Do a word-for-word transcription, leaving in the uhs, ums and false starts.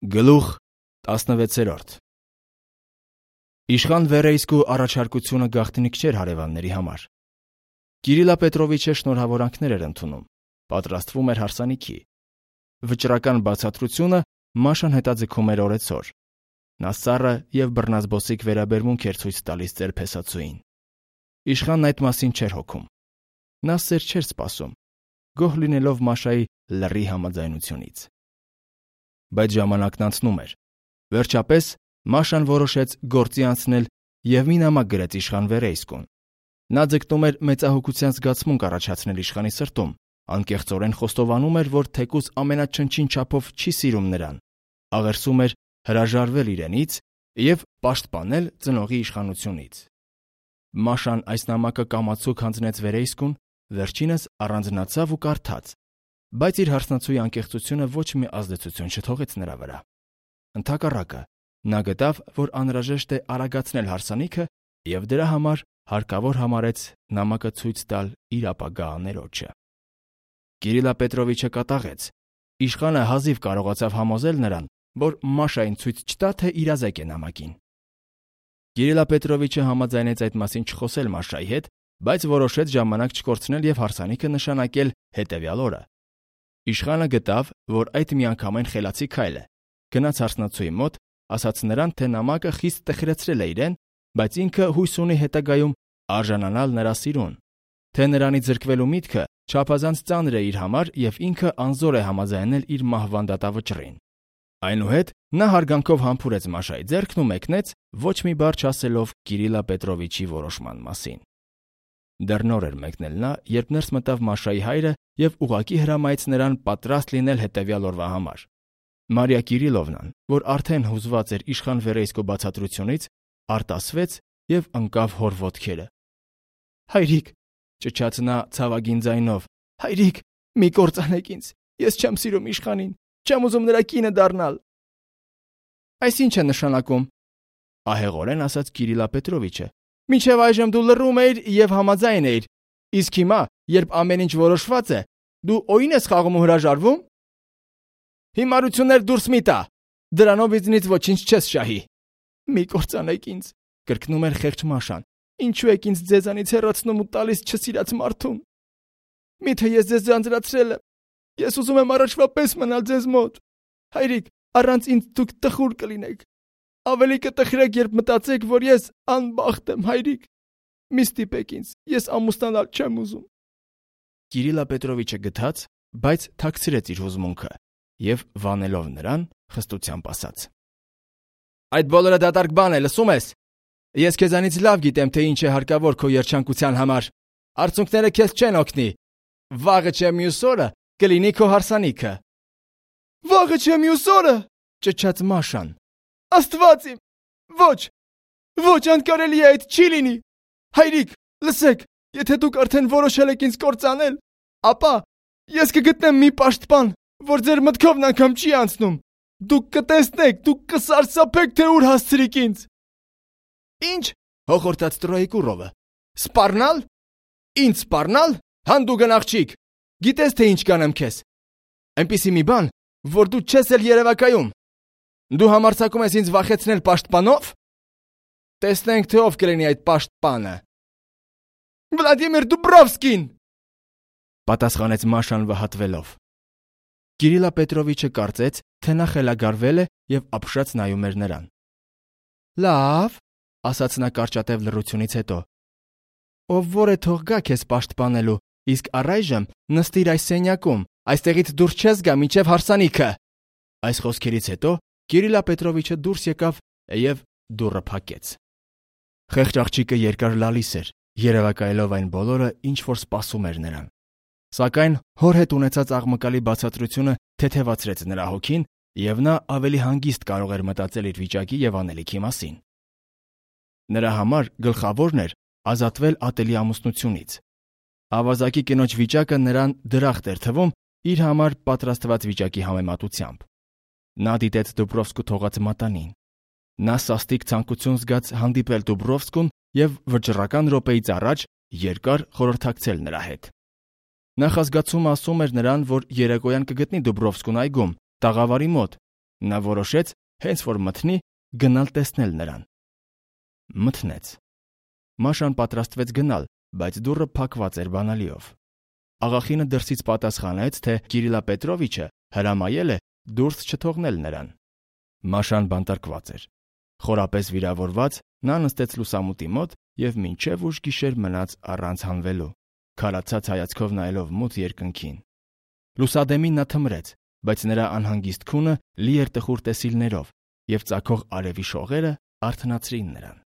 Գլուխ տասնվեցերորդ Իշխան Վերեյսկու առաջարկությունը գաղտնիք չէր հարևանների համար։ Կիրիլա Պետրովիչը շնորհավորանքներ էր ընդունում, պատրաստվում էր հարսանիքի։ Վճռական բացատրությունը Մաշան հետաձգում էր օրեցօր։ Նա սառը և բռնազբոսիկ վերաբերմունք էր ցույց տալիս ծեր փեսացուին։ Իշխանն այդ մասին չէր հոգում։ Նա սեր չէր սպասում, գոհ լինելով Մաշայի լռի համաձայնությունից։ Բայց ժամանակն անցնում էր։ Վերջապես Մաշան որոշեց գործի անցնել և մի նամակ գրեց իշխան Վերեյսկուն։ Նա ձգտում էր մեծահոգության զգացմունք առաջացնել իշխանի սրտում, անկեղծորեն խոստովանում էր, որ թեկուզ ամենաչնչին չափով չի սիրում նրան, աղերսում էր հրաժարվել իրենից և պաշտպանել ծնողի իշխանությունից։ Մաշան այս նամակը կամացուկ հանձնեց Վերեյսկուն, վերջինս առանձնացավ ու կարդաց, բայց իր հարսնացուի անկեղծությունը ոչ մի ազդեցություն չթողեց նրա վրա։ Ընդհակառակը, նա գտավ, որ անհրաժեշտ է արագացնել հարսանիքը և դրա համար հարկավոր համարեց նամակը ցույց տալ իր ապագա աներոջը։ Կիրիլա Պետրովիչը կատաղեց։ Իշխանը հազիվ կարողացավ համոզել նրան, որ Մաշային ցույց չտա, թե իրազեկ է նամակին։ Կիրիլա Պետրովիչը համաձայնեց այդ մասին չխոսել Մաշայի հետ, բայց որոշեց ժամանակ չկորցնել և հարսանիքը նշանակել հետևյալ օրը։ Իշխանը գտավ, որ այդ միանգամայն խելացի քայլ է, գնաց հարսնացուի մոտ, ասաց նրան, թե նամակը խիստ տխրեցրել է իրեն, բայց ինքը հույս ունի հետագայում արժանանալ նրա սիրուն, թե նրանից զրկվելու միտքը չափազանց ծանր է իր համար և ինքը անզոր է համաձայնել իր մահվան դատավճռին։ Այնուհետ նա հարգանքով համբուրեց Մաշայի ձեռքն ու մեկնեց, ոչ մի բառ չասելով Կիրիլա Պետրովիչի որոշման մասին։ Դեռ նոր էր մեկնել նա, երբ ներս մտավ Մաշայի հայրը և ուղղակի հրամայեց նրան պատրաստ լինել հետևյալ օրվա համար։ Մարիա Կիրիլովնան, որ արդեն հուզված էր իշխան Վերեյսկու բացատրությունից, արտասվեց և ընկավ հոր ոտքերը։ «Հայրիկ», ճչաց նա ցավագին ձայնով, «հայրիկ, մի կործանեք ինձ, ես չեմ սիրում իշխանին, չեմ ուզում նրա կինը դառնալ»։ «Այս ի՞նչ է նշանակում», ահեղորեն ասաց Կիրիլա Պետրովիչը։ «Մինչև այժմ դու լռում էիր և համաձայն էիր, իսկ հիմա, երբ ամեն ինչ որոշված է, դու օին ես խաղում ու հրաժարվում։ Հիմարություններ դուրս մի տա, դրանով ինձնից ոչինչ չես շահի»։ «Մի կործանեք ինձ», կրկնում էր խեղճ Մաշան, «ինչու եք ինձ ձեզանից հեռացնում ու տալիս չսիրած մարդուն։ Միթե ես ձեզ ձանձրացրել եմ, ես ուզում եմ առաջվա պես մնալ ձեզ մոտ։ Հայրիկ, առանց ինձ դուք տխուր կլինեք։ Ավելի կտխրեք, երբ մտածեք, որ ես անբախտ եմ, հայրիկ։ Մի ստիպեք ինձ, ես ամուսնանալ չեմ ուզում»։ Կիրիլա Պետրովիչը գթաց, բայց թաքցրեց իր հուզմունքը և, վանելով նրան, խստությամբ ասաց. «Այդ բոլորը դատարկ բան է, լսում ես։ Ես քեզանից լավ գիտեմ, թե ինչ է հարկավոր քո երջանկության համար։ Արցունքները քեզ չեն օգնի։ Վաղը չէ մյուս օրը կլինի քո հարսանիքը»։ «Վաղը չէ մյուս օրը», ճչաց Մաշան։ «Աստված իմ, ոչ, ոչ, անկարելի է, այդ չի լինի։ Հայրիկ, լսեք, եթե դուք արդեն որոշել եք ինձ կործանել, ապա ես կգտնեմ մի պաշտպան, որ ձեր մտքովն անգամ չի անցնում։ Դուք կտեսնեք, դուք կսարսափեք, թե ուր հասցրիք ինձ»։ «Ինչ», հոխորտաց Տրոյիկուրովը, «սպառնալ։ Ինձ սպառնալ, հանդուգն աղջիկ, գիտես թե ինչ կանեմ քեզ։ Այնպիսի մի բան, որ դու չես էլ երևակայում։ Դու համարձակում ես ինձ վախեցնել պաշտպանով։ Տեսնենք, թե ով կլինի այդ պաշտպանը»։ «Վլադիմիր Դուբրովսկին», պատասխանեց Մաշան վհատվելով։ Կիրիլա Պետրովիչը կարծեց, թե նա խելագարվել է և ապշած նայում էր նրան։ «Լավ», ասաց նա կարճատև լռությունից հետո, «ով որ է թող գա քեզ պաշտպանելու, իսկ առայժմ նստիր այս սենյակում, այստեղից դուրս չես գա մինչև հարսանիքը»։ Այս խոսքերից հետո Կիրիլա Պետրովիչը դուրս եկավ և դուռը փակեց։ Խեղճ աղջիկը երկար լալիս էր, երևակայելով այն բոլորը, ինչ որ սպասում էր նրան։ Սակայն հոր հետ ունեցած աղմկալի բացատրությունը թեթևացրեց նրա հոգին, և նա ավելի հանգիստ կարող էր մտածել իր վիճակի և անելիքի մասին։ Նրա համար գլխավորն էր ազատվել ատելի ամուսնությունից։ Ավազակի կնոջ վիճակը նրան դրախտ էր թվում իր համար պատրաստված վիճակի համեմատությամբ։ Նա դիտեց Դուբրովսկու թողած մատանին։ Նա սաստիկ ցանկություն զգաց հանդիպել Դուբրովսկուն և վճռական րոպեից առաջ երկար խորհրդակցել նրա հետ։ Նախազգացումը ասում էր նրան, որ երեկոյան կգտնի Դուբրովսկուն այգում, տաղավարի մոտ, Նա որոշեց, հենց որ մթնի, գնալ տեսնել նրան։ Մթնեց։ Մաշան պատրաստվեց գնալ, բայց դուռը փակված էր բանալիով։ Աղախինը դրսից պատասխանեց, թե Կիրիլա Պետրովիչը հրամայել է դուրս չթողնել նրան։ Մաշան բանտարկված էր։ Խորապես վիրավորված, նա նստեց լուսամուտի մոտ և մինչև ուշ գիշեր մնաց առանց հանվելու, քարացած հայացքով նայելով մութ երկնքին։ Լուսադեմին նա թմրեց, բայց նրա անհանգիստ քունը լի էր տխուր տեսիլներով, և ծագող արևի շողերը արթնացրին նրան։